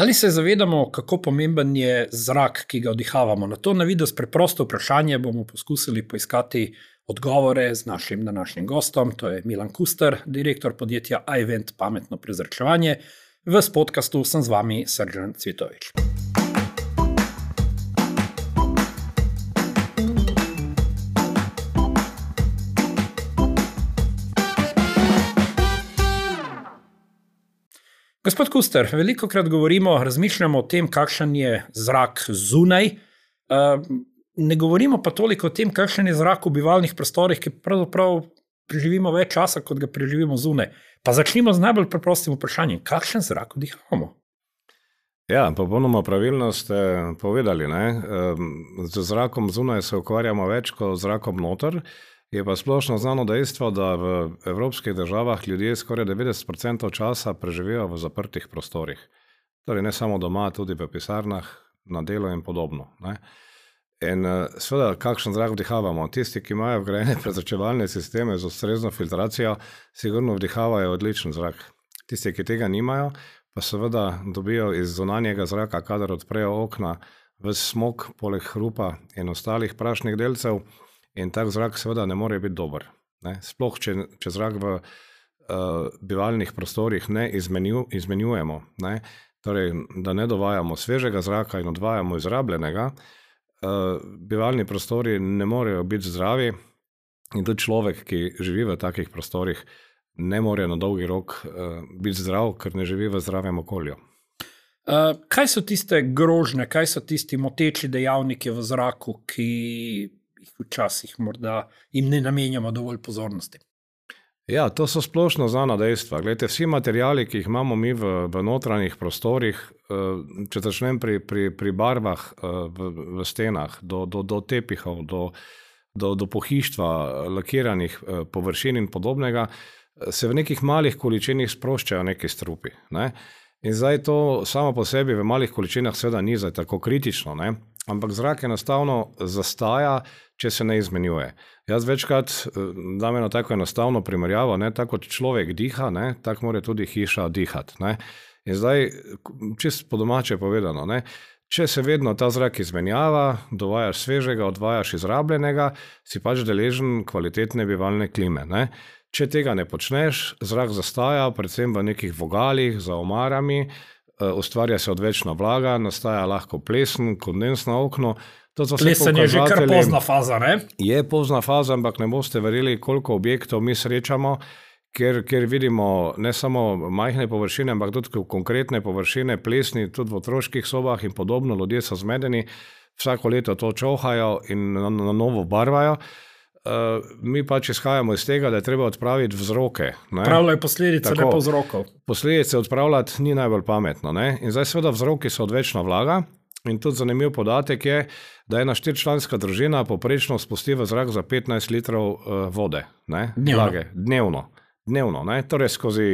Ali se zavedamo, kako pomemben je zrak, ki ga vdihavamo? Na to navidez preprosto vprašanje bomo poskusili poiskati odgovore z našim današnjim gostom, to je Milan Kuster, direktor podjetja iVent Pametno prezračevanje. V podcastu sem z vami Srdjan Cvitovič. Gospod Kuster, velikokrat govorimo, razmišljamo o tem, kakšen je zrak zunaj, ne govorimo pa toliko o tem, kakšen je zrak v bivalnih prostorih, ki pravzaprav preživimo več časa, kot ga preživimo zunaj. Pa začnimo z najbolj preprostim vprašanjem, kakšen zrak vdihavamo? Ja, popolnoma pravilno ste povedali, ne? Z zrakom zunaj se ukvarjamo več kot zrakom noter. Je pa splošno znano dejstvo, da v evropskih državah ljudje skoraj 90% časa preživijo v zaprtih prostorih. Torej ne samo doma, tudi v pisarnah, na delu in podobno. Ne? In seveda, kakšen zrak vdihavamo? Tisti, ki imajo vgrajene prezračevalne sisteme z ustrezno filtracijo, sigurno vdihavajo odličen zrak. Tisti, ki tega nimajo, pa seveda dobijo iz zunanjega zraka, kadar odprejo okna, ves smog, poleg hrupa in ostalih prašnih delcev. In tak zrak seveda ne more biti dober. Ne? Sploh, če zrak v bivalnih prostorih ne izmenjujemo, ne? Torej, da ne dovajamo svežega zraka in odvajamo izrabljenega, bivalni prostori ne morejo biti zdravi in tudi človek, ki živi v takih prostorih, ne more na dolgi rok biti zdrav, ker ne živi v zdravem okolju. Kaj so tiste grožnje, kaj so tisti moteči dejavniki v zraku, ki včasih morda jim ne namenjamo dovolj pozornosti? Ja, to so splošno znana dejstva. Glejte, vsi materiali, ki jih imamo mi v notranjih prostorih, če začnem pri barvah v stenah, do tepihov, do pohištva, lakiranih površin in podobnega, se v nekih malih količinih sproščajo neki strupi. Ne? In zdaj to samo po sebi v malih količinah seveda ni zdaj tako kritično, ne? Ampak zrak enostavno zastaja, če se ne izmenjuje. Jaz večkrat dam eno tako enostavno primerjavo, ne? Tako kot človek diha, ne? Tako mora tudi hiša dihati. Ne? In zdaj, čisto po domače povedano, ne? Če se vedno ta zrak izmenjava, dovajaš svežega, odvajaš izrabljenega, si pač deležen kvalitetne bivalne klime. Ne? Če tega ne počneš, zrak zastaja, predvsem v nekih vogalih, za omarami, ustvarja se odvečna vlaga, nastaja lahko plesen, kondens na okno. Plesen je že kar pozna faza, ne? Je pozna faza, ampak ne boste verjeli, koliko objektov mi srečamo, ker vidimo ne samo majhne površine, ampak tudi konkretne površine, plesni, tudi v otroških sobah in podobno, ljudje so zmedeni, vsako leto to čohajo in na novo barvajo. Mi pač izhajamo iz tega, da je treba odpraviti vzroke. Odpravljajo posledice, ne pa vzrokov. Posledice odpravljati ni najbolj pametno. Ne? In zdaj seveda vzroki so odvečna vlaga in tudi zanimiv podatek je, da ena 4-članska družina poprečno spusti v zrak za 15 litrov vode. Ne? Vlage. Dnevno. Ne? Torej skozi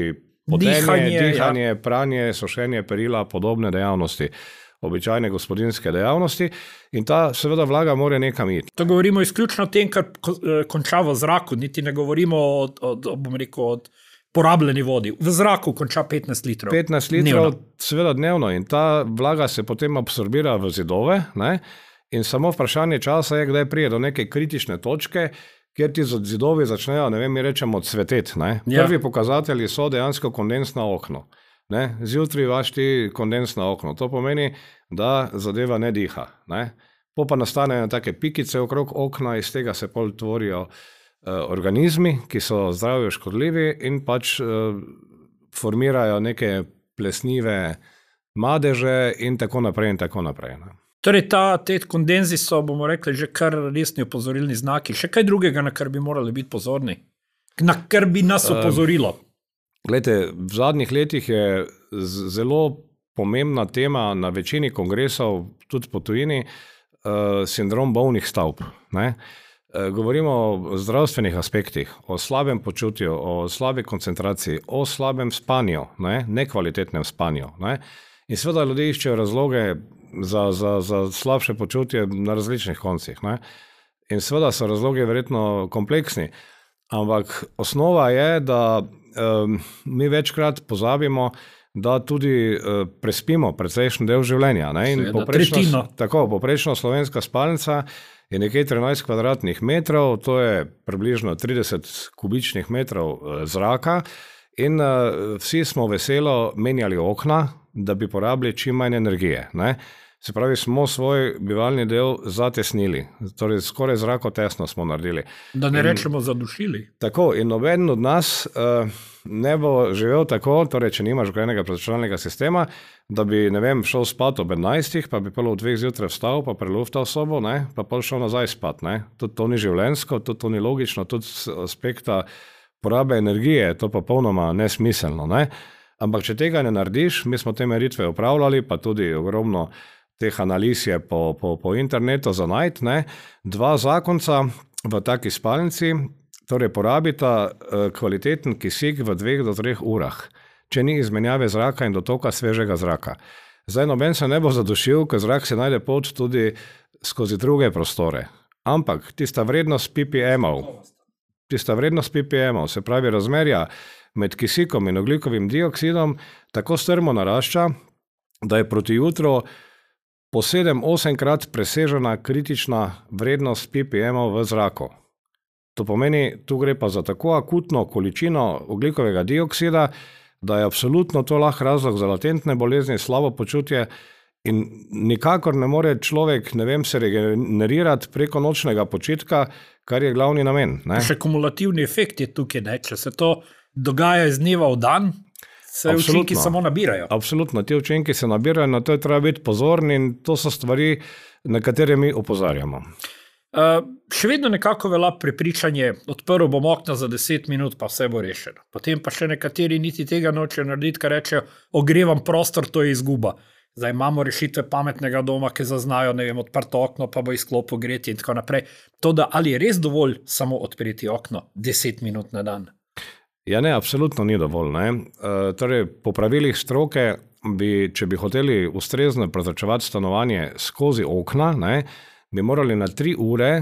potenje, dihanje, pranje, sušenje perila, podobne dejavnosti. Običajne gospodinske dejavnosti in ta seveda vlaga mora nekam iti. To govorimo izključno o tem, kar konča v zraku, niti ne govorimo o porabljeni vodi. V zraku konča 15 litrov. 15 litrov seveda dnevno in ta vlaga se potem absorbira v zidove, ne? In samo vprašanje časa je, kdaj prije do neke kritične točke, kjer ti zidovi začnejo, ne vem, mi rečemo cveteti. Ne? Prvi pokazatelji so dejansko kondens na okno. Ne? Zjutraj vaš ti kondens na okno. To pomeni, da zadeva ne diha. Ne? Pa nastanejo take pikice okrog okna, iz tega se pol tvorijo organizmi, ki so zdravju škodljivi in pač formirajo neke plesnive madeže in tako naprej in tako naprej. Ne? Torej, te kondenzi so, bomo rekli, že kar resni opozorilni znaki. Še kaj drugega, na kar bi morali biti pozorni? Na kar bi nas opozorilo? Glejte, v zadnjih letih je zelo pomembna tema na večini kongresov, tudi po tujini, sindrom bolnih stavb. Ne? Govorimo o zdravstvenih aspektih, o slabem počutju, o slabi koncentraciji, o slabem spanju, nekvalitetnem spanju. Ne? In seveda ljudje iščejo razloge za slabše počutje na različnih koncih. Ne? In seveda so razlogi verjetno kompleksni, ampak osnova je, da mi večkrat pozabimo, da tudi prespimo precejšen del življenja. Ne? In poprečno slovenska spalnica je nekje 13 kvadratnih metrov, to je približno 30 kubičnih metrov zraka in vsi smo veselo menjali okna, da bi porabili čim manj energije. Ne? Se pravi, smo svoj bivalni del zatesnili, torej skoraj zrakotesno smo naredili. Da ne rečemo zadušili. Tako, in noben od nas ne bo živel tako, torej če nimaš vgrajenega prezračevalnega sistema, da bi, ne vem, šel spat ob 11, pa bi prvo v 2 zjutraj vstal, pa preluftal sobo, ne, pa pol šel nazaj spat. Ne. Tudi to ni življenjsko, tudi to ni logično, tudi z aspekta porabe energije je to popolnoma nesmiselno. Ne. Ampak če tega ne narediš, mi smo te meritve upravljali, pa tudi ogromno teh analiz je po internetu za najti, ne. 2 zakonca v taki spalnici, torej porabita kvaliteten kisik v 2 do 3 urah, če ni izmenjave zraka in dotoka svežega zraka. Zdaj noben se ne bo zadušil, ker zrak se najde pot tudi skozi druge prostore. Ampak tista vrednost ppm-ov, se pravi razmerja med kisikom in ogljikovim dioksidom, tako strmo narašča, da je proti jutru po 7-8 krat presežena kritična vrednost ppm-ov v zraku. To pomeni, tu gre pa za tako akutno količino ogljikovega dioksida, da je absolutno to lahko razlog za latentne bolezni, slabo počutje in nikakor ne more človek, ne vem, se regenerirati preko nočnega počitka, kar je glavni namen. Ne? Še kumulativni efekt je tukaj, ne? Če se to dogaja iz dneva v dan, se učinki samo nabirajo. Absolutno, ti učinki se nabirajo, na to je treba biti pozorni in to so stvari, na katere mi opozarjamo. Še vedno nekako velja prepričanje, odprl bom okna za 10 minut, pa vse bo rešeno. Potem pa še nekateri niti tega nočejo narediti, kar rečejo, ogrevam prostor, to je izguba. Zdaj imamo rešitve pametnega doma, ki zaznajo, ne vem, odprto okno, pa bo izklopil gretje in tako naprej. To, da ali je res dovolj samo odpreti okno 10 minut na dan? Ja ne, absolutno ni dovolj. Ne? Torej, po pravilih stroke, če bi hoteli ustrezno prezračevati stanovanje skozi okna, ne, bi morali na 3 ure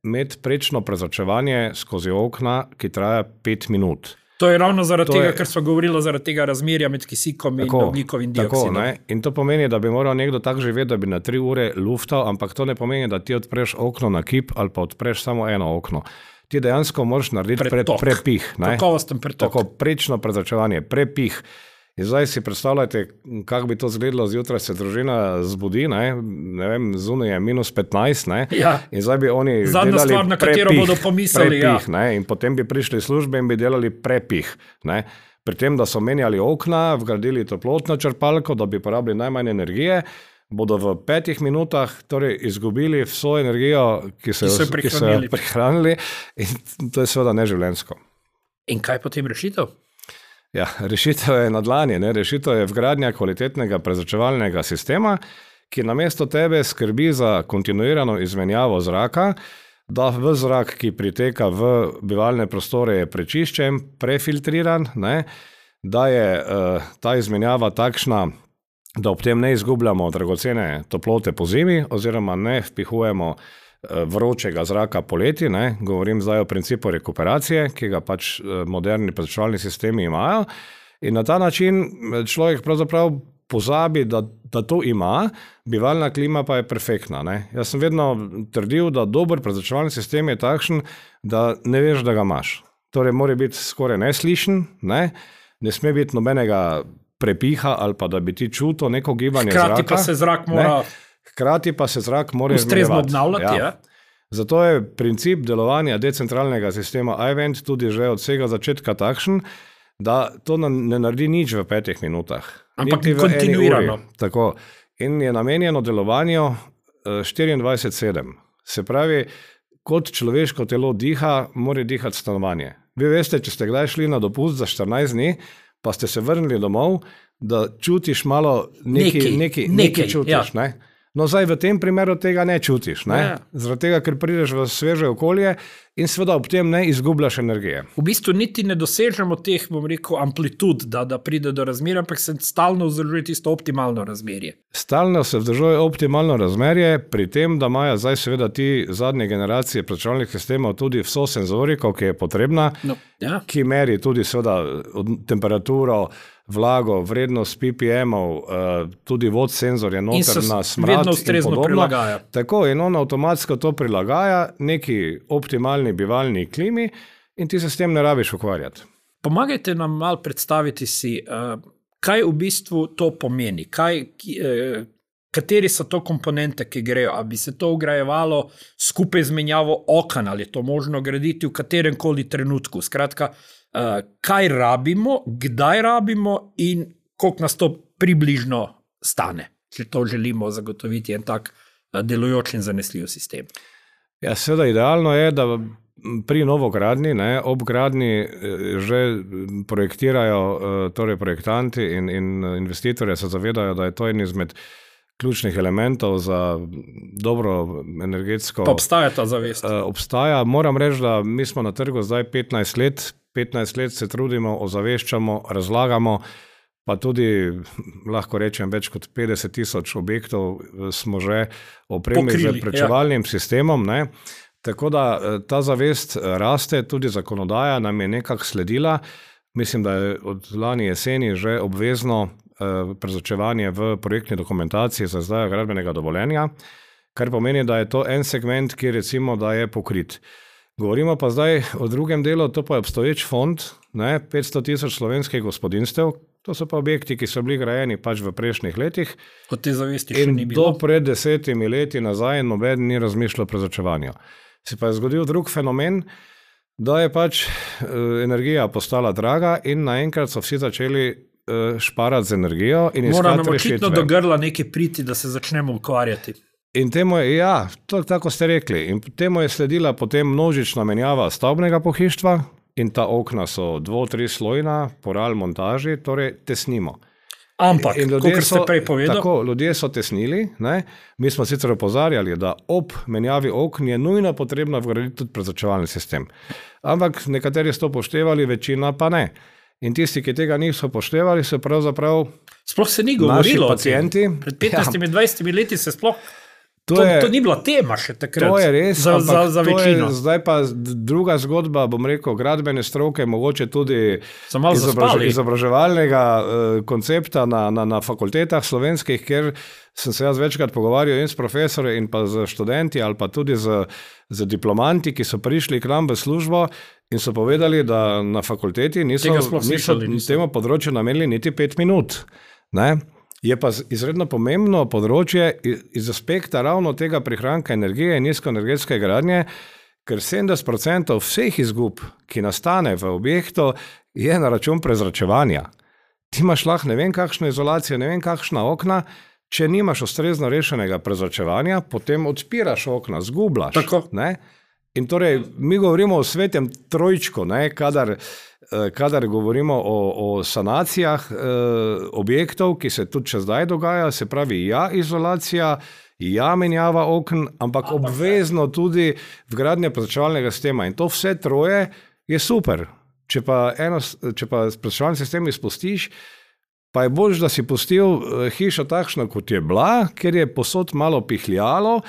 imeti prečno prezračevanje skozi okna, ki traja 5 minut. To je ravno zaradi tega, ker so govorili zaradi tega razmerja med kisikom in ogljikovim dioksidom. In to pomeni, da bi moral nekdo tako živeti, da bi na 3 ure luftal, ampak to ne pomeni, da ti odpreš okno na kip ali pa odpreš samo eno okno. Ti dejansko moraš narediti prepih. Kakovosten pretok. Tako, prečno prezračevanje, prepih. In zdaj si predstavljajte, kako bi to izgledalo zjutraj, se družina zbudi, ne vem, zunaj je -15, ne, ja. In zdaj bi oni zadnja delali stvar, na katero bodo pomislili, prepih, ja. Ne, in potem bi prišli službe in bi delali prepih, ne. Pri tem, da so menjali okna, vgradili toplotno črpalko, da bi porabili najmanj energije, bodo v 5 minutah torej izgubili vso energijo, ki so jo prihranili, in to je seveda neživljenjsko. In kaj potem rešitev? Ja, rešitev je na dlani, ne? Rešitev je vgradnja kvalitetnega prezračevalnega sistema, ki namesto tebe skrbi za kontinuirano izmenjavo zraka, da v zrak, ki priteka v bivalne prostore, je prečiščen, prefiltriran, ne? Da je ta izmenjava takšna, da ob tem ne izgubljamo dragocene toplote po zimi oziroma ne vpihujemo vročega zraka poleti, ne? Govorim zdaj o principu rekuperacije, ki ga pač moderni prezračevalni sistemi imajo, in na ta način človek pravzaprav pozabi, da to ima, bivalna klima pa je perfektna. Ne? Jaz sem vedno trdil, da dober prezračevalni sistem je takšen, da ne veš, da ga imaš. Torej mora biti skoraj neslišen, ne sme biti nobenega prepiha ali pa da bi ti čutil neko gibanje zraka. Hkrati pa se zrak mora ustrezno obnavljati. Ja. Zato je princip delovanja decentralnega sistema iVent tudi že od vsega začetka takšen, da to ne naredi nič v 5 minutah. Ampak kontinuirano. Tako. In je namenjeno delovanju 24/7. Se pravi, kot človeško telo diha, mora dihati stanovanje. Vi veste, če ste kdaj šli na dopust za 14 dni, pa ste se vrnili domov, da čutiš malo nekaj čutiš, ja. Ne? No, zdaj v tem primeru tega ne čutiš, ne? Ja. Zaradi tega, ker prideš v sveže okolje in seveda ob tem ne izgubljaš energije. V bistvu niti ne dosežemo teh, bom rekel, amplitud, da pride do razmerja, ampak se stalno vzdržuje tisto optimalno razmerje. Stalno se vzdržuje optimalno razmerje, pri tem, da imajo zdaj seveda ti zadnje generacije računalnih sistemov tudi vso senzoriko, ki je potrebna, ki meri tudi seveda temperaturo, vlago, vrednost ppm-ov, tudi vod senzor je noter na smrad in podobno. Prilagaja. Tako, in on avtomatsko to prilagaja neki optimalni bivalni klimi in ti se s tem ne rabiš ukvarjati. Pomagajte nam malo predstaviti si, kaj v bistvu to pomeni, kateri so to komponente, ki grejo, ali bi se to vgrajevalo skupaj z menjavo oken, ali je to možno graditi v katerem koli trenutku. Skratka, kaj rabimo, kdaj rabimo in koliko nas to približno stane, če to želimo zagotoviti en tak delujoč in zanesljiv sistem. Ja, seveda idealno je, da pri novogradnji, ob gradnji že projektirajo, torej projektanti in investitorje se zavedajo, da je to en izmed ključnih elementov za dobro energetsko... Pa obstaja ta zavest? Obstaja. Moram reči, da mi smo na trgu zdaj 15 let. 15 let se trudimo, ozaveščamo, razlagamo, pa tudi, lahko rečem, več kot 50,000 objektov smo že opremili z prečevalnim sistemom. Ne? Tako da ta zavest raste, tudi zakonodaja nam je nekako sledila. Mislim, da je od lani jeseni že obvezno prezračevanje v projektni dokumentaciji za izdajo gradbenega dovoljenja, kar pomeni, da je to en segment, ki recimo, da je pokrit. Govorimo pa zdaj o drugem delu, to pa je obstoječ fond, 500,000 slovenskih gospodinstev, to so pa objekti, ki so bili grajeni pač v prejšnjih letih. Od te zavesti še ni bilo. In do pred 10 leti nazaj nobeden ni razmišljal o prezračevanju. Se pa je zgodil drug fenomen, da je pač energija postala draga in naenkrat so vsi začeli šparati z energijo in iskati rešitve. Mora nam očitno do grla nekaj priti, da se začnemo ukvarjati. In temu je, ja, tako ste rekli, in temu je sledila potem množična menjava stavbnega pohištva in ta okna so 2-3 slojna, po RAL montaži, torej tesnimo. Ampak, kot ste prej povedali. Tako, ljudje so tesnili, mi smo sicer opozarjali, da ob menjavi okn je nujno potrebno vgraditi tudi prezračevalni sistem. Ampak nekateri so to poštevali, večina pa ne. In tisti, ki tega niso poštevali, so pravzaprav sploh se ni govorilo pacienti. Pred 15-20 leti se sploh To ni bila tema še takrat. To je res, za večino. Zdaj pa druga zgodba, bom rekel, gradbene stroke, mogoče tudi izobraževalnega koncepta na fakultetah slovenskih, kjer sem se jaz večkrat pogovarjal in s profesori in pa z študenti ali pa tudi z diplomanti, ki so prišli k nam v službo in so povedali, da na fakulteti niso temu področju namenili niti 5 minut. Je pa izredno pomembno področje iz aspekta ravno tega prihranka energije in nizkoenergetske gradnje, ker 70% vseh izgub, ki nastane v objektu, je na račun prezračevanja. Ti imaš lahko ne vem kakšno izolacijo, ne vem kakšna okna, če nimaš ustrezno rešenega prezračevanja, potem odpiraš okna, zgubljaš. Tako. In torej, mi govorimo o svetem trojčku, kadar govorimo o sanacijah objektov, ki se tudi še zdaj dogaja, se pravi izolacija, menjava okn, ampak obvezno tudi vgradnja prezračevalnega sistema. In to vse troje je super. Če pa prezračevalni sistem izpustiš, pa je bolj, da si pustil hišo takšno, kot je bila, ker je posod malo pihljalo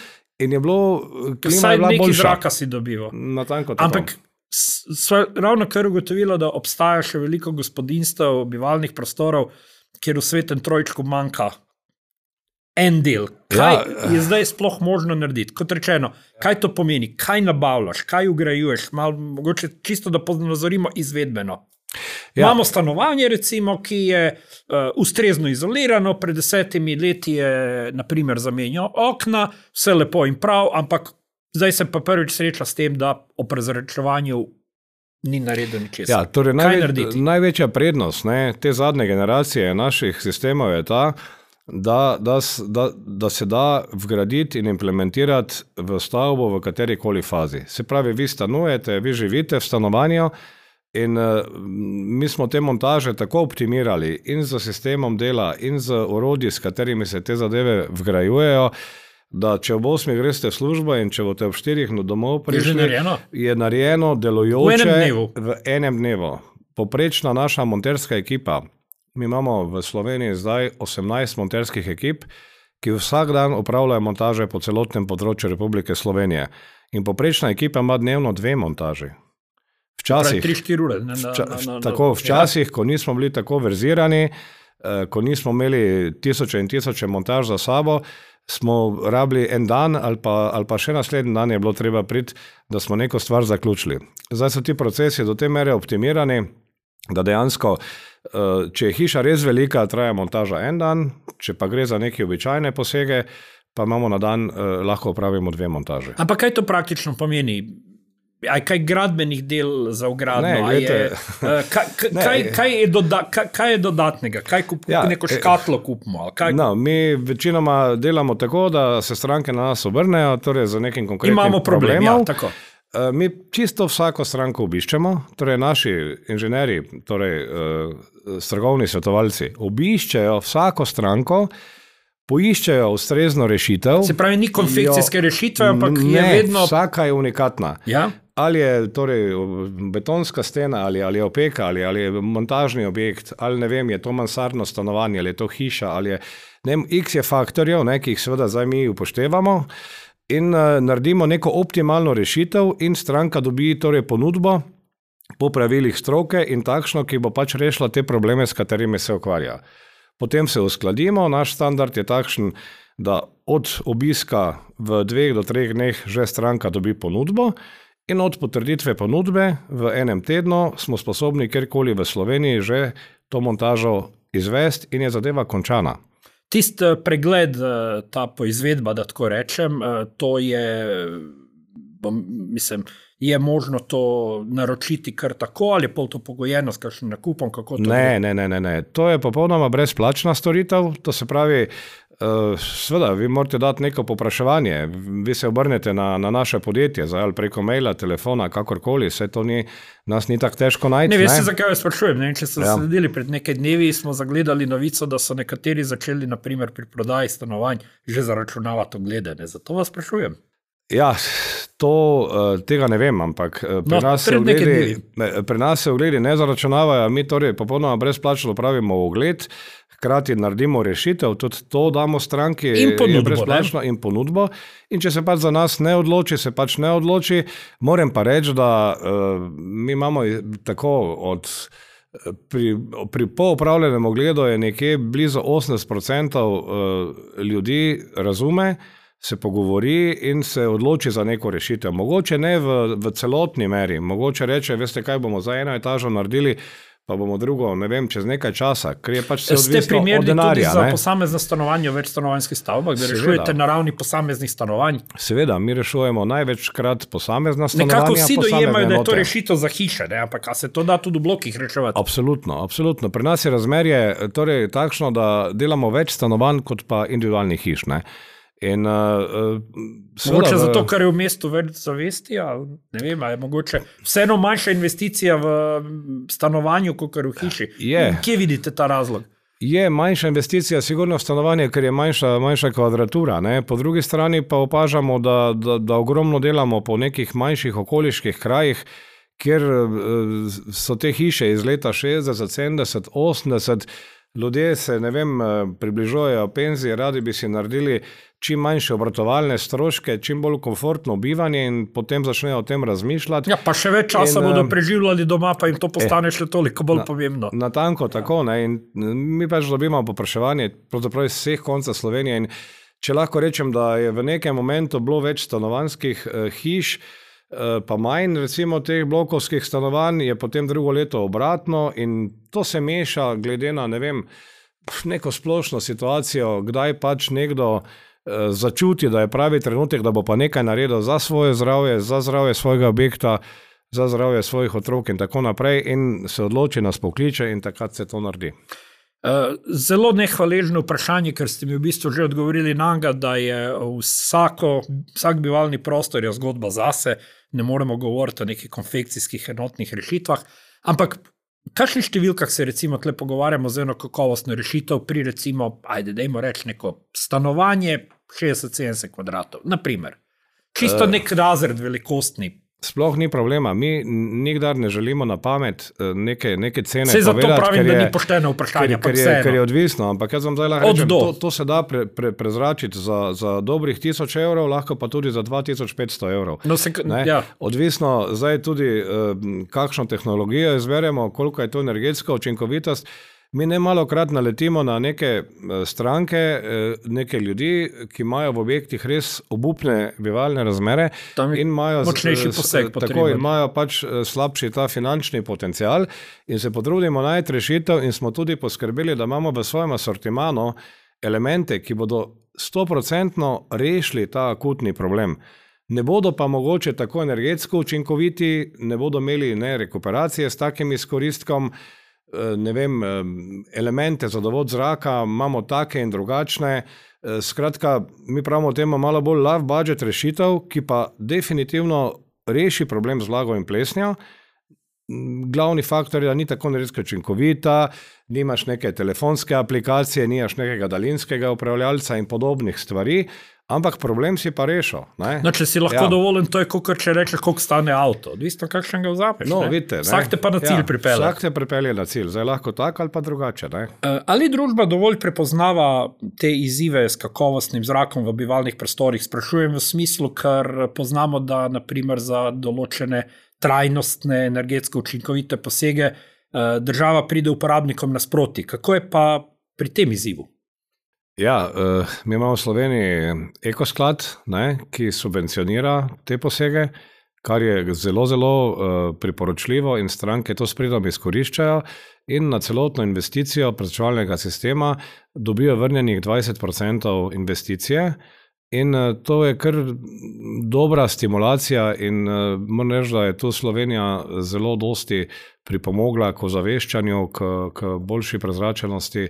in je bilo klima je bila boljša. Vsaj neki zraka si dobival. Natanko tako. Ampak sva ravno kar ugotovila, da obstaja še veliko gospodinjstev, bivalnih prostorov, kjer v svetem trojčku manjka en del. Kaj je zdaj sploh možno narediti? Kot rečeno, kaj to pomeni? Kaj nabavljaš? Kaj ugrajuješ? Mogoče čisto, da ponazorimo izvedbeno. Imamo stanovanje, recimo, ki je ustrezno izolirano, pred 10 leti je, naprimer, zamenjal okna, vse lepo in prav, ampak zdaj se pa prvič sreča s tem, da o prezračevanju ni naredil ničesar. Torej največja prednost te zadnje generacije naših sistemov je ta, da se da vgraditi in implementirati v stavbo v katerikoli fazi. Se pravi, vi stanujete, vi živite v stanovanju in mi smo te montaže tako optimirali in z sistemom dela in z orodji, s katerimi se te zadeve vgrajujejo, da če ob 8 greste v službo in če boste ob 4 domov prišli, je narejeno delujoče v enem dnevu. Poprečna naša monterska ekipa, mi imamo v Sloveniji zdaj 18 monterskih ekip, ki vsak dan opravljajo montaže po celotnem področju Republike Slovenije. In poprečna ekipa ima dnevno 2 montaži. Včasih, 3-4 ure. Včasih, ko nismo bili tako verzirani, ko nismo imeli tisoče in tisoče montaž za sabo, smo rabili en dan ali pa še naslednji dan je bilo treba priti, da smo neko stvar zaključili. Zdaj so ti procesi do te mere optimirani, da dejansko, če je hiša res velika, traja montaža en dan, če pa gre za neke običajne posege, pa imamo na dan, lahko opravimo 2 montaže. Ampak kaj to praktično pomeni? Kaj gradbenih del za vgradno? Kaj je dodatnega? Kaj neko škatlo kupimo? Mi večinoma delamo tako, da se stranke na nas obrnejo, torej za nekim konkretnim problemom. Mi čisto vsako stranko obiščemo, torej naši inženjeri, torej strokovni svetovalci, obiščejo vsako stranko, poiščejo ustrezno rešitev. Se pravi, ni konfekcijske rešitve, ampak je vedno... Vsaka je unikatna. Ja? Ali je torej betonska stena, ali je opeka, ali je montažni objekt, ali ne vem, je to mansardno stanovanje, ali je to hiša, ali je... X je faktorjev, ki jih seveda zdaj mi upoštevamo in naredimo neko optimalno rešitev in stranka dobi torej ponudbo po pravilih stroke in takšno, ki bo pač rešila te probleme, s katerimi se ukvarja. Potem se uskladimo, naš standard je takšen, da od obiska v 2 do 3 dneh že stranka dobi ponudbo in od potrditve ponudbe v enem tednu smo sposobni kjerkoli v Sloveniji že to montažo izvesti in je zadeva končana. Tist pregled, ta poizvedba, da tako rečem, to je, mislim, je možno to naročiti kar tako, ali je pol to pogojeno s kakšnim nakupom? Kako to ne. To je popolnoma brezplačna storitev, to se pravi, seveda, vi morate dati neko popraševanje, vi se obrnete na naše podjetje, ali preko maila, telefona, kakorkoli, vse to nas ni tako težko najti. Ne, veste, zakaj vas sprašujem, če ste sledili pred nekaj dnevi, smo zagledali novico, da so nekateri začeli, naprimer pri prodaji stanovanj, že zaračunavati oglede, zato vas sprašujem. Ja, tega ne vem, ampak pri nas se ogledi ne zaračunavajo, mi torej popolnoma brezplačno pravimo ogled, hkrati naredimo rešitev, tudi to damo stranki, je brezplačno in ponudbo. In če se pač za nas ne odloči, se pač ne odloči. Moram pa reči, da mi imamo tako pri poopravljenem ogledu je nekje blizu 80% ljudi razume, se pogovori in se odloči za neko rešitev. Mogoče ne v celotni meri, mogoče reče, veste kaj, bomo za eno etažo naredili, pa bomo drugo, ne vem, čez nekaj časa, ker je pač se odvisno od denarja. Ste primerni tudi za posamezna stanovanja v večstanovanjskih stavbah, da rešujete na ravni posameznih stanovanj? Seveda, mi rešujemo največkrat posamezna stanovanja. Nekako vsi dojemajo, da je to rešitev za hiše, ampak a se to da tudi v blokih reševati? Absolutno. Pri nas je razmerje torej takšno, da delamo več stanovanj kot pa individualnih hiš, mogoče zato, ker je v mestu več zavesti, ne vem, je mogoče vseeno manjša investicija v stanovanju, kot v hiši. Kje vidite ta razlog? Je manjša investicija sigurno v stanovanje, ker je manjša kvadratura. Po drugi strani pa opažamo, da ogromno delamo po nekih manjših okoliških krajih, kjer so te hiše iz leta 60, 70, 80, ljudje se, ne vem, približujejo penziji, radi bi si naredili čim manjše obratovalne stroške, čim bolj komfortno bivanje in potem začnejo o tem razmišljati. Ja, pa še več časa bodo preživljali doma, pa jim to postane še toliko bolj pomembno. Natanko tako, in mi pač dobimo popraševanje pravzaprav iz vseh konca Slovenije in če lahko rečem, da je v nekem momentu bilo več stanovanjskih hiš, pa manj recimo teh blokovskih stanovanj, je potem drugo leto obratno in to se meša glede na, ne vem, neko splošno situacijo, kdaj pač nekdo začuti, da je pravi trenutek, da bo pa nekaj naredil za svoje zdravje, za zdravje svojega objekta, za zdravje svojih otrok in tako naprej in se odloči, nas pokliče in takrat se to naredi. Zelo nehvaležno vprašanje, ker ste mi v bistvu že odgovorili na njega, da je vsak bivalni prostor je zgodba zase, ne moremo govoriti o nekih konfekcijskih enotnih rešitvah, ampak v kakšnih številkah se recimo tle pogovarjamo z eno kakovostno rešitev pri recimo, dajmo reči neko stanovanje, 60-70 kvadratov, naprimer. Čisto nek razred velikostni. Sploh ni problema. Mi nikdar ne želimo na pamet neke cene povedati. Zato pravim, da ni pošteno vprašanje. Ker je odvisno, ampak jaz vam zdaj lahko rečem, to se da prezračiti za dobrih 1000 evrov, lahko pa tudi za 2500 evrov. Odvisno zdaj tudi, kakšno tehnologijo izberemo, koliko je to energetska učinkovitost. Mi ne malokrat naletimo na neke stranke, neke ljudi, ki imajo v objektih res obupne bivalne razmere in imajo pač slabši ta finančni potencial in se potrudimo najti rešitev in smo tudi poskrbeli, da imamo v svojem asortimanu elemente, ki bodo 100% rešili ta akutni problem. Ne bodo pa mogoče tako energetsko učinkoviti, ne bodo imeli rekuperacije s takim izkoristkom, ne vem, elemente za dovod zraka, imamo take in drugačne. Skratka, mi pravimo temu malo bolj low budget rešitev, ki pa definitivno reši problem z vlago in plesnjo. Glavni faktor je, da ni tako energetsko učinkovita, nimaš neke telefonske aplikacije, nimaš nekega daljinskega upravljalca in podobnih stvari, ampak problem si pa rešil. Če si lahko dovoljen, to je kot če rečeš, koliko stane avto. Odvisno, kakšen ga vzameš. Vidite, vsak te pa na cilj pripelje. Vsak te pripelje na cilj, zdaj lahko tako ali pa drugače. Ali družba dovolj prepoznava te izzive s kakovostnim zrakom v bivalnih prostorih? Sprašujem v smislu, ker poznamo, da naprimer za določene trajnostne, energetsko učinkovite posege država pride uporabnikom nasproti. Kako je pa pri tem izzivu? Ja, mi imamo v Sloveniji ekosklad, ki subvencionira te posege, kar je zelo, zelo priporočljivo in stranke to s pridom izkoriščajo in na celotno investicijo prezračevalnega sistema dobijo vrnjenih 20% investicije in to je kar dobra stimulacija in moram reči, da je tu Slovenija zelo dosti pripomogla k ozaveščanju, k boljši prezračenosti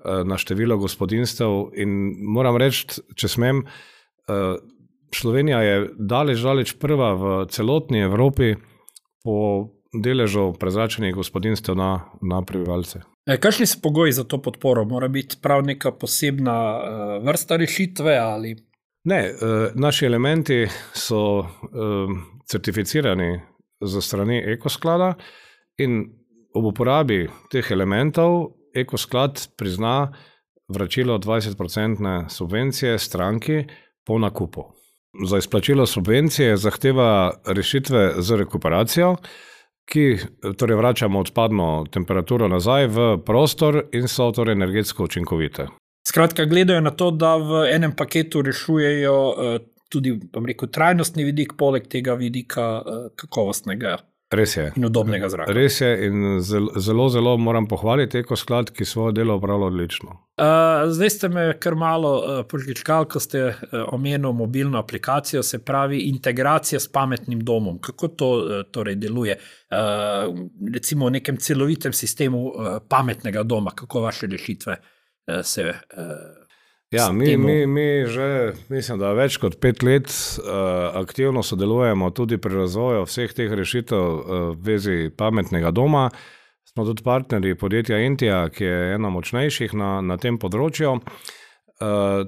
na število gospodinstev in moram reči, če smem, Slovenija je daleč prva v celotni Evropi po deležu prezračenih gospodinstev na prebivalce. Kakšni so pogoji za to podporo? Mora biti prav neka posebna vrsta rešitve ali? Ne, naši elementi so certificirani za strani ekosklada in ob uporabi teh elementov ekosklad prizna vračilo 20% subvencije stranki po nakupu. Za izplačilo subvencije zahteva rešitve z rekuperacijo, ki torej vračamo odpadno temperaturo nazaj v prostor in so torej energetsko učinkovite. Skratka, gledajo na to, da v enem paketu rešujejo tudi, bom rekel, trajnostni vidik, poleg tega vidika kakovostnega. Res je. In udobnega zraka. Res je in zelo, zelo moram pohvaliti ekosklad, ki svoje delo opravlja odlično. Zdaj ste me kar malo požgečkali, ko ste omenili mobilno aplikacijo, se pravi integracija s pametnim domom. Kako to torej deluje? Recimo v nekem celovitem sistemu pametnega doma, kako vaše rešitve se Ja, mi že, mislim, da več kot 5 let aktivno sodelujemo tudi pri razvoju vseh teh rešitev v vezi pametnega doma. Smo tudi partnerji podjetja Intija, ki je ena močnejših na tem področju.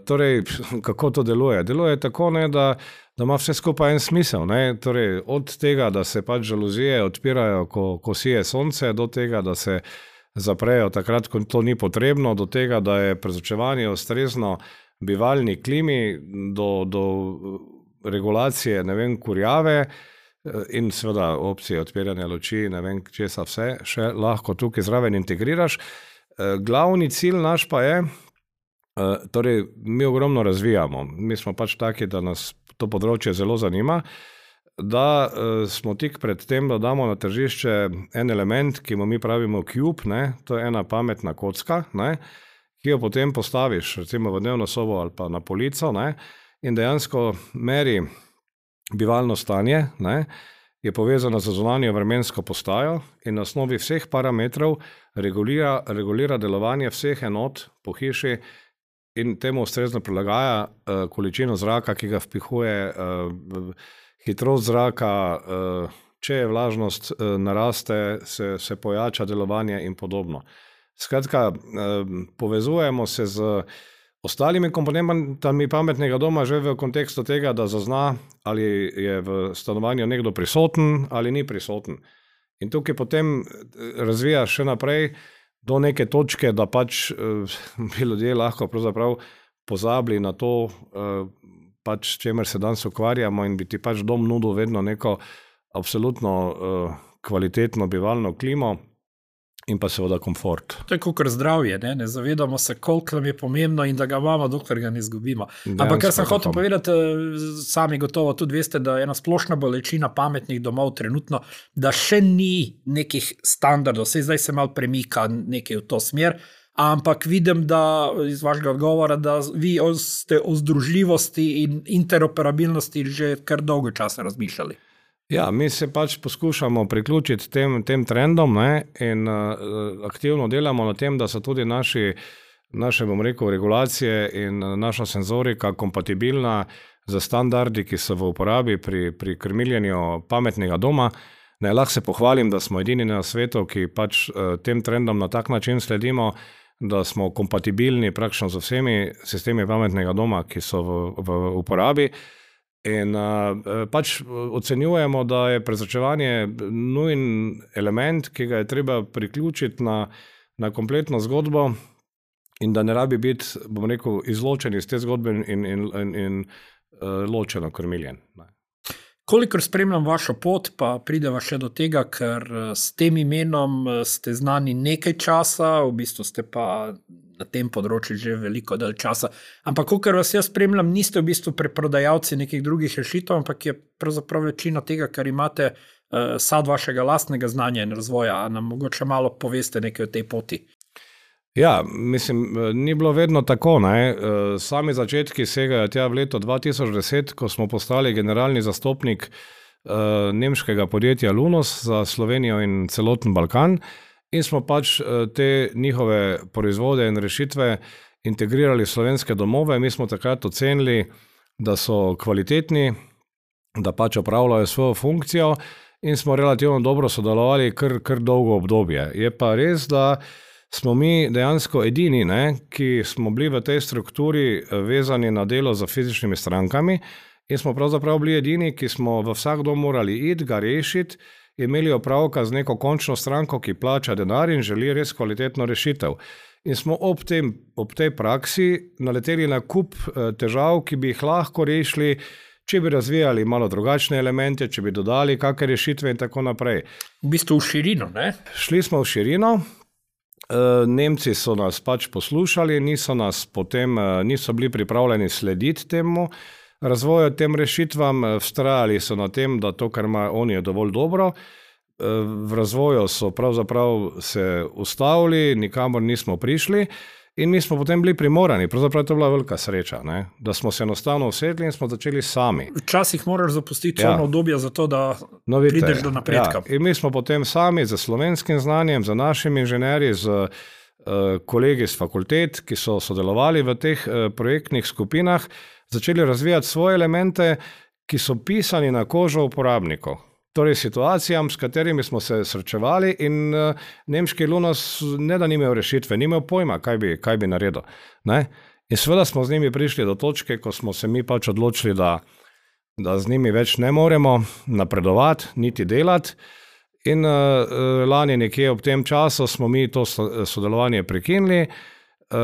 Torej, kako to deluje? Deluje tako, da ima vse skupaj en smisel. Torej, od tega, da se pač žaluzije odpirajo, ko sije sonce, do tega, da se zaprejo takrat, ko to ni potrebno, do tega, da je prezračevanje ustrezno bivalni klimi, do regulacije, kurjave in seveda opcije odpiranja luči, ne vem, česa vse še lahko tukaj zraven integriraš. Glavni cilj naš pa je, torej mi ogromno razvijamo. Mi smo pač taki, da nas to področje zelo zanima, da smo tik pred tem, da damo na tržišče en element, ki mu mi pravimo cube, to je ena pametna kocka, ki jo potem postaviš recimo v dnevno sobo ali pa na polico in dejansko meri bivalno stanje, je povezana z zunanjo vremensko postajo in na osnovi vseh parametrov regulira delovanje vseh enot po hiši in temu ustrezno prilagaja količino zraka, ki ga vpihuje, hitrost zraka, če je vlažnost naraste, se pojača delovanje in podobno. Skratka, povezujemo se z ostalimi komponentami pametnega doma že v kontekstu tega, da zazna, ali je v stanovanju nekdo prisoten ali ni prisoten. In tukaj potem razvija še naprej do neke točke, da pač bi ljudje lahko pravzaprav pozabili na to, pač čemer se danes ukvarjamo in bi ti pač dom nudil vedno neko absolutno kvalitetno bivalno klimo in pa seveda komfort. To je kakor zdravje, ne zavedamo se, koliko nam je pomembno in da ga imamo, dokler ga ne izgubimo. Ampak kar sem hotel povedati, sami gotovo tudi veste, da je ena splošna bolečina pametnih domov trenutno, da še ni nekih standardov, zdaj se malo premika nekaj v to smer, ampak vidim, da iz vašega odgovora, da vi ste o združljivosti in interoperabilnosti že kar dolgo časa razmišljali. Ja, mi se pač poskušamo priključiti tem trendom, ne, in aktivno delamo na tem, da so tudi naše, bom rekel, regulacije in naša senzorika kompatibilna za standardi, ki so v uporabi pri krmiljenju pametnega doma. Ne, lahko se pohvalim, da smo edini na svetu, ki pač tem trendom na tak način sledimo, da smo kompatibilni praktično z vsemi sistemi pametnega doma, ki so v uporabi. In pač ocenjujemo, da je prezračevanje nujen element, ki ga je treba priključiti na kompletno zgodbo in da ne rabi biti, bom rekel, izločen iz te zgodbe in ločeno krmiljen. Kolikor spremljam vašo pot, pa prideva še do tega, ker s tem imenom ste znani nekaj časa, v bistvu ste pa na tem področju že veliko dalj časa. Ampak, kakor vas jaz spremljam, niste v bistvu preprodajalci nekih drugih rešitev, ampak je pravzaprav večina tega, kar imate, sad vašega lastnega znanja in razvoja. A nam mogoče malo poveste nekaj o tej poti? Ja, mislim, ni bilo vedno tako, ne. Sami začetki segajo tja v leto 2010, ko smo postali generalni zastopnik nemškega podjetja Lunos za Slovenijo in celoten Balkan. In smo pač te njihove proizvode in rešitve integrirali v slovenske domove. Mi smo takrat ocenili, da so kvalitetni, da pač opravljajo svojo funkcijo in smo relativno dobro sodelovali kar dolgo obdobje. Je pa res, da smo mi dejansko edini, ne, ki smo bili v tej strukturi vezani na delo za fizičnimi strankami in smo pravzaprav bili edini, ki smo v vsak dom morali iti, ga rešiti, imeli opravka z neko končno stranko, ki plača denar in želi res kvalitetno rešitev. In smo ob tej praksi naleteli na kup težav, ki bi jih lahko rešili, če bi razvijali malo drugačne elemente, če bi dodali kakšne rešitve in tako naprej. V bistvu v širino, ne? Šli smo v širino, Nemci so nas pač poslušali, niso bili pripravljeni slediti temu razvoju tem rešitvam, vztrajali so na tem, da to, kar imajo oni, je dovolj dobro. V razvoju so pravzaprav se ustavili, nikamor nismo prišli in mi smo potem bili primorani. Pravzaprav je to bila velika sreča, ne? Da smo se enostavno usedli in smo začeli sami. Včasih moraš zapustiti ono obdobje za to, da prideš do napredka. Ja. In mi smo potem sami z slovenskim znanjem, z našimi inženerji, z kolegi z fakultet, ki so sodelovali v teh projektnih skupinah, začeli razvijati svoje elemente, ki so pisani na kožo uporabnikov. Torej situacijam, s katerimi smo se srečevali in nemški Lunos ne da ni imel rešitve, ni imel pojma, kaj bi naredil. Ne? In seveda smo z njimi prišli do točke, ko smo se mi pač odločili, da z njimi več ne moremo napredovati, niti delati. In lani nekje ob tem času smo mi to sodelovanje prekinili,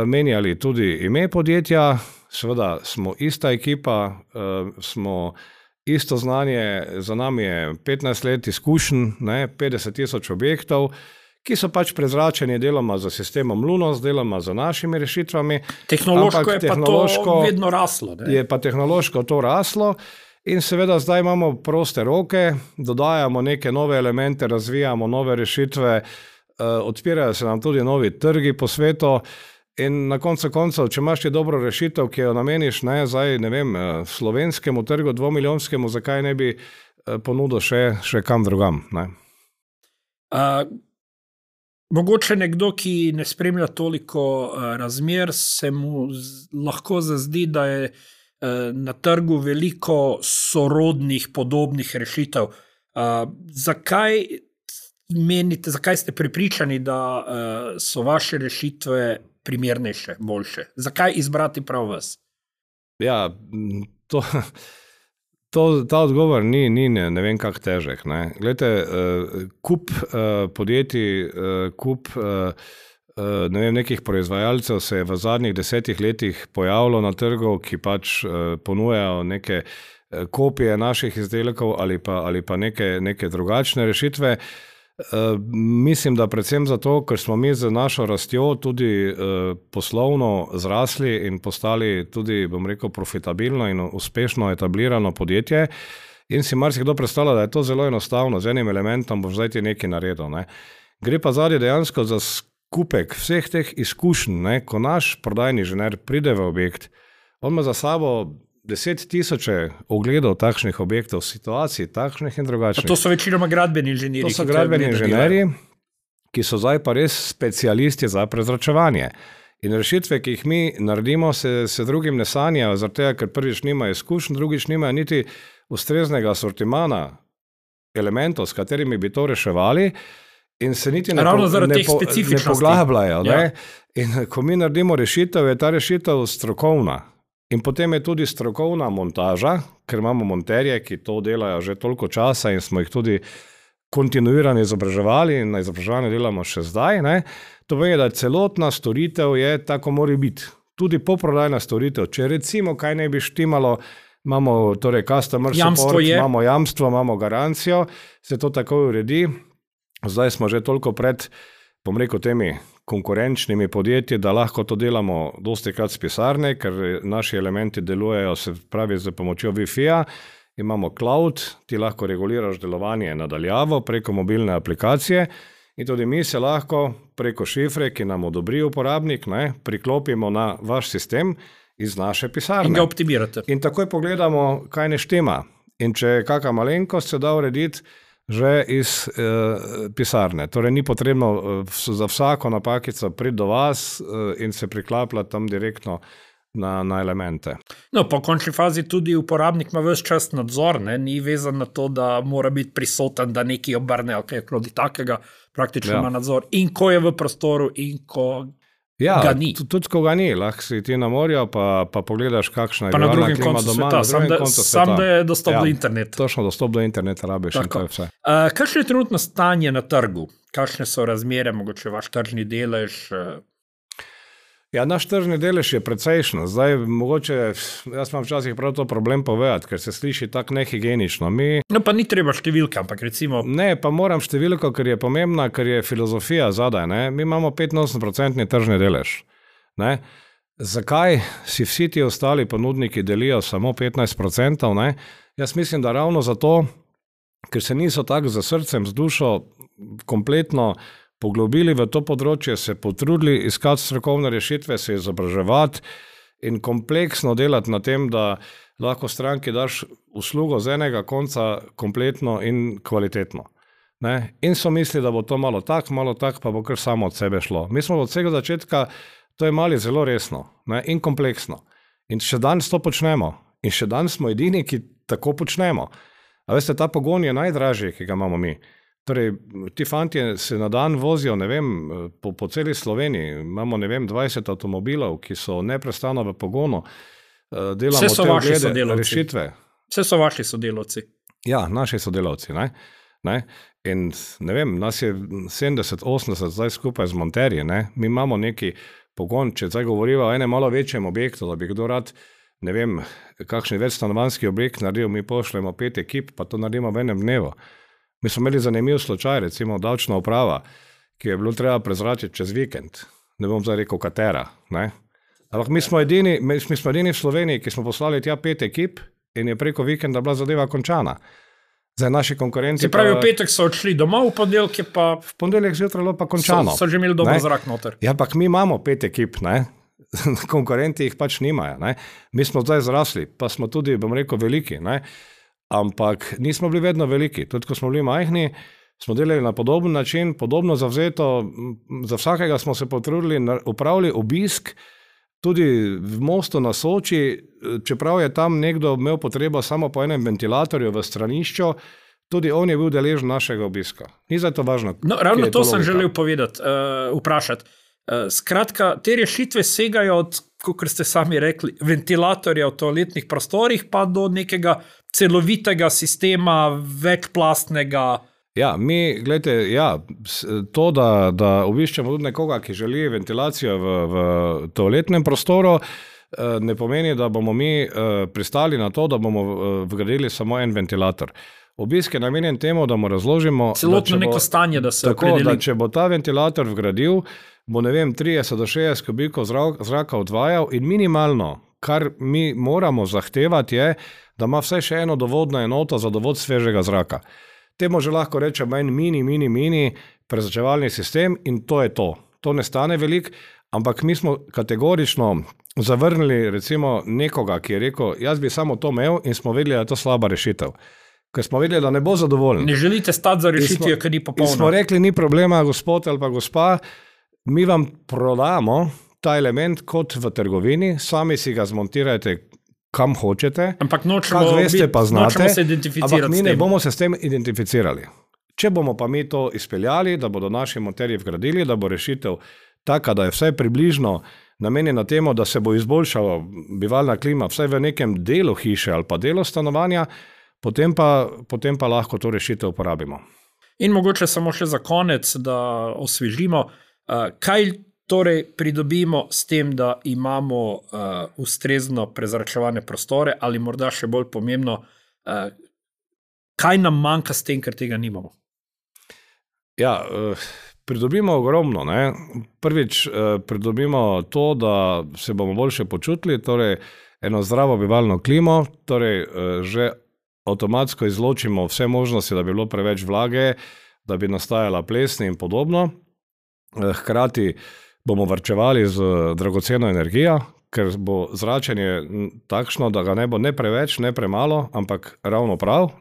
menjali tudi ime podjetja, seveda smo ista ekipa, smo isto znanje, za nami je 15 let izkušenj, 50,000 objektov, ki so pač prezračeni deloma za sistemom Lunos, deloma za našimi rešitvami. Tehnološko je pa to vedno raslo. Ne? Je pa tehnološko to raslo in seveda zdaj imamo proste roke, dodajamo neke nove elemente, razvijamo nove rešitve, odpirajo se nam tudi novi trgi po svetu. In na koncu koncev, če imaš ti dobro rešitev, ki jo nameniš slovenskemu trgu, 2-milijonskemu, zakaj ne bi ponudil še kam drugam? Ne? Mogoče nekdo, ki ne spremlja toliko razmer, se mu lahko zazdi, da je na trgu veliko sorodnih, podobnih rešitev. Zakaj menite, zakaj ste prepričani, da so vaše rešitve primernejše, boljše? Zakaj izbrati prav vas? Ja, ta odgovor ni ne vem kak težek. Ne. Glejte, kup podjetij, kup ne vem, nekih proizvajalcev se je v zadnjih 10 letih pojavilo na trgu, ki pač ponujajo neke kopije naših izdelkov ali pa neke drugačne rešitve. Mislim, da predvsem zato, ker smo mi z našo rastjo tudi poslovno zrasli in postali tudi, bom rekel, profitabilno in uspešno etablirano podjetje in si marsikdo predstavlja, da je to zelo enostavno, z enim elementom boš zdaj ti nekaj naredil. Ne. Gre pa zadnje dejansko za skupek vseh teh izkušenj, ne, ko naš prodajni inženir pride v objekt, on ima za sabo 10 000 ogledov takšnih objektov, situacij, takšnih in drugačnih. Pa to so večinoma gradbeni inženirji. To so gradbeni inženirji, ki so zdaj pa res specialisti za prezračevanje. In rešitve, ki jih mi naredimo, se drugim ne sanjajo, zaradi tega, ker prvič nimajo izkušenj, drugič nimajo niti ustreznega sortimana elementov, s katerimi bi to reševali, in se niti ne poglabljajo. Ja. In ko mi naredimo rešitev, je ta rešitev strokovna. In potem je tudi strokovna montaža, ker imamo monterje, ki to delajo že toliko časa in smo jih tudi kontinuirano izobraževali in na izobraževanju delamo še zdaj. Ne. To pomeni, da celotna storitev je tako mora biti. Tudi poprodajna storitev. Če recimo kaj ne bi štimalo, imamo torej customer support, imamo jamstvo, imamo garancijo, se to tako uredi. Zdaj smo že toliko pred, bom rekel, temi konkurenčnimi podjetji, da lahko to delamo dosti krat z pisarne, ker naši elementi delujejo, se pravi, z pomočjo Wi-Fi-ja. Imamo cloud, ti lahko reguliraš delovanje nadaljavo preko mobilne aplikacije in tudi mi se lahko preko šifre, ki nam odobri uporabnik, ne, priklopimo na vaš sistem iz naše pisarne. In ga optimirate. In takoj pogledamo, kaj ne štima. In če je kakšna malenkost, se da urediti že iz pisarne. Torej ni potrebno za vsako napakico priti do vas in se priklapljati tam direktno na elemente. No, po končni fazi tudi uporabnik ima ves čas nadzor, ne? Ni vezan na to, da mora biti prisoten, da nekaj obrne ali kaj krodi takega, praktično ima nadzor. In ko je v prostoru in ko ga ni. Tudi ko ga ni, lahko si ti na morju, pa pogledaš, kakšna je glavna klima doma. Pa na drugem koncu sveta, sam da je dostop do interneta. Točno, dostop do interneta rabiš in to je vse. Kakšno je trenutno stanje na trgu? Kakšne so razmere, mogoče vaš tržni delež? Ja, naš tržni delež je precejšen. Zdaj, mogoče, jaz imam včasih prav to problem povedati, ker se sliši tako nehigienično. No, pa ni treba številka, ampak recimo... Ne, pa moram številko, ker je pomembna, ker je filozofija zadaj. Ne? Mi imamo 85% tržni delež. Ne? Zakaj si vsi ti ostali ponudniki delijo samo 15%? Ne? Jaz mislim, da ravno zato, ker se niso tako za srcem, z dušo kompletno poglobili v to področje, se potrudili iskati strokovne rešitve, se izobraževati in kompleksno delati na tem, da lahko stranki daš uslugo z enega konca kompletno in kvalitetno. Ne? In so mislili, da bo to malo tak, pa bo kar samo od sebe šlo. Mi smo od vsega začetka to imeli zelo resno, ne? In kompleksno. In še danes to počnemo. In še danes smo edini, ki tako počnemo. A veste, ta pogon je najdražji, ki ga imamo mi. Torej, ti fantje se na dan vozijo, ne vem, po celi Sloveniji, imamo, ne vem, 20 avtomobilov, ki so neprestano v pogonu, delamo te oglede, rešitve. Vse so vaši sodelavci. Ja, naši sodelavci, ne. In, ne vem, nas je 70-80 zdaj skupaj z monterji, ne. Mi imamo neki pogon, če zdaj govoriva o enem malo večjem objektu, da bi kdo rad, ne vem, kakšen večstanovanjski objekt naredil, mi pošljemo 5 ekip, pa to naredimo v enem dnevu. Mi smo imeli zanimiv slučaj, recimo davčna uprava, ki je bilo treba prezračiti čez vikend. Ne bom zdaj rekel katera. Ne? Ampak mi smo edini v Sloveniji, ki smo poslali tja 5 ekip in je preko vikenda bila zadeva končana. Zdaj naši konkurenci... Se pravi, v petek so odšli domov, v ponedeljek je pa... V ponedeljek zjutraj bilo pa končano. So že imeli dober zrak noter. Ja, ampak mi imamo 5 ekip, ne? Konkurenti jih pač nimajo. Ne? Mi smo zdaj zrasli, pa smo tudi, bom rekel, veliki, ne? Ampak nismo bili vedno veliki. Tudi ko smo bili majhni, smo delali na podoben način, podobno zavzeto, za vsakega smo se potrudili, upravili obisk, tudi v Mostu na Soči, čeprav je tam nekdo imel potrebo samo po enem ventilatorju v stranišču, tudi on je bil deležen našega obiska. Ni zdaj to važno. No, ravno to sem želel povedati, vprašati. Skratka, te rešitve segajo od, kot ste sami rekli, ventilatorja v toaletnih prostorih pa do nekega celovitega sistema, večplastnega. Ja, to, da obiščemo tudi nekoga, ki želi ventilacijo v toaletnem prostoru, ne pomeni, da bomo mi pristali na to, da bomo vgradili samo en ventilator. Obisk je namenjen temu, da mu razložimo celotno neko stanje, da se opredeli. Da če bo ta ventilator vgradil, bo 30 do 60 kubikov zraka odvajal in minimalno, kar mi moramo zahtevati, je, da ima vsaj še eno dovodno enoto za dovod svežega zraka. Temu že lahko rečemo en mini prezračevalni sistem in to je to. To ne stane veliko, ampak mi smo kategorično zavrnili recimo nekoga, ki je rekel, jaz bi samo to imel in smo vedeli, da je to slaba rešitev. Ker smo vedeli, da ne bo zadovoljen. Ne želite stati za rešitvijo, ker ni popolno. In smo rekli, ni problema, gospod ali pa gospa, mi vam prodamo ta element kot v trgovini, sami si ga zmontirajte kam hočete, ampak nočemo se identificirati ampak mi ne bomo se s tem identificirali. Če bomo pa mi to izpeljali, da bodo naši monterji vgradili, da bo rešitev taka, da je vsaj približno namenjena temu, da se bo izboljšala bivalna klima vsaj v nekem delu hiše ali pa delu stanovanja, potem pa lahko to rešitev uporabimo. In mogoče samo še za konec, da osvežimo, kaj torej pridobimo s tem, da imamo ustrezno prezračevane prostore ali morda še bolj pomembno, kaj nam manjka s tem, ker tega nimamo? Ja, pridobimo ogromno. Prvič pridobimo to, da se bomo boljše počutili, torej eno zdravo bivalno klimo, torej že avtomatsko izločimo vse možnosti, da bi bilo preveč vlage, da bi nastajala plesni in podobno. Hkrati bomo varčevali z dragoceno energijo, ker bo zračenje takšno, da ga ne bo ne preveč, ne premalo, ampak ravno prav.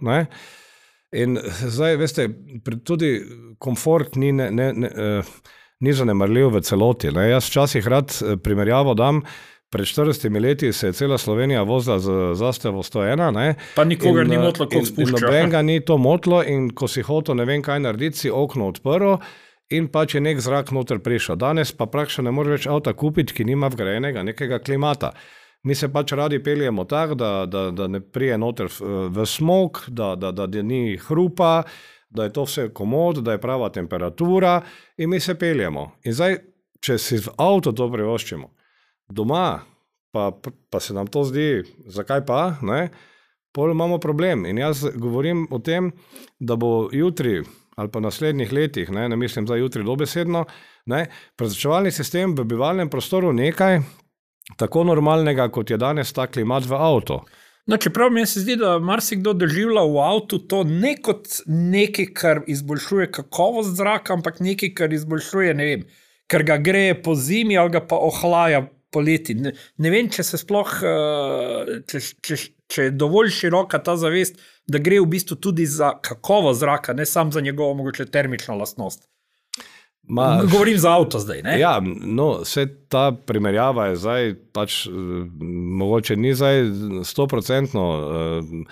In zdaj, veste, tudi komfort ni zanemarljiv v celoti. Jaz včasih rad primerjavo dam, pred 40 leti se je cela Slovenija vozila z zastevo 101. Pa nikogar ni motlo, koliko spušča. In nobenega ni to motlo in ko si hotel ne vem kaj narediti, si okno odprl in pač je nek zrak noter prišel. Danes pa praktično ne moreš več avta kupiti, ki nima vgrajenega nekega klimata. Mi se pač radi peljemo tako, da ne prije noter v smog, da ni hrupa, da je to vse komod, da je prava temperatura in mi se peljemo. In zdaj, če si v avto to privoščimo, doma, pa se nam to zdi, zakaj pa, pol imamo problem. In jaz govorim o tem, da bo jutri ali pa v naslednjih letih, ne mislim za jutri dobesedno, prezračevalni sistem v bivalnem prostoru nekaj tako normalnega, kot je danes ta klimat v avto. Čeprav mi se zdi, da marsikdo doživlja v avtu to ne kot nekaj, kar izboljšuje kakovost zraka, ampak nekaj, kar izboljšuje, ne vem, ker ga greje po zimi ali ga pa ohlaja poleti. Ne vem, če se sploh, če je dovolj široka ta zavest, da gre v bistvu tudi za kakovost zraka, ne samo za njegovo mogoče termično lastnost. Govorim za avto zdaj, ne? Ja, vse ta primerjava je zdaj pač, mogoče ni zdaj 100%,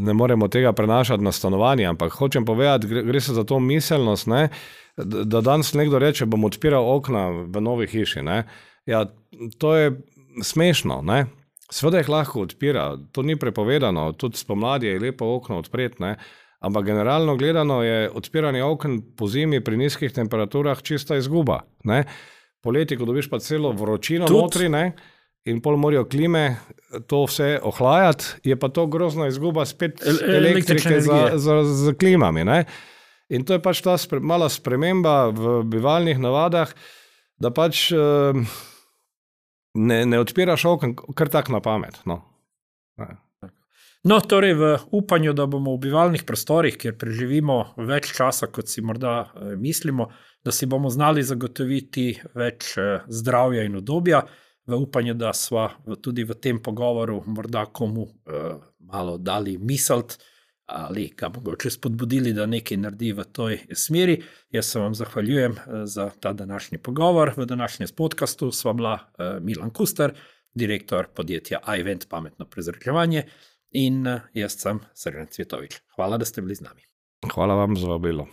ne moremo tega prenašati na stanovanje, ampak hočem povedati, gre se za to miselnost, da danes nekdo reče, bom odpiral okna v novi hiši, Ja, to je smešno, Seveda jih lahko odpira, to ni prepovedano, tudi spomladi je lepo okno odpreti, ampak generalno gledano je odpiranje okn po zimi pri nizkih temperaturah čista izguba, Poleti, ko dobiš pa celo vročino notri, in pol morajo klime to vse ohlajati, je pa to grozna izguba spet elektrike z klimami, In to je pač ta mala sprememba v bivalnih navadah, da pač ne odpiraš okn kar tak na pamet. Torej v upanju, da bomo v bivalnih prostorih, kjer preživimo več časa, kot si morda mislimo, da si bomo znali zagotoviti več zdravja in udobja, v upanju, da sva tudi v tem pogovoru morda komu malo dali misliti, ali ga mogoče spodbudili, da nekaj naredi v toj smeri. Jaz se vam zahvaljujem za ta današnji pogovor. V današnjem podcastu sva bila Milan Kuster, direktor podjetja iVent pametno prezračevanje, in jaz sem Srđan Cvjetovič. Hvala, da ste bili z nami. Hvala vam za vabilo.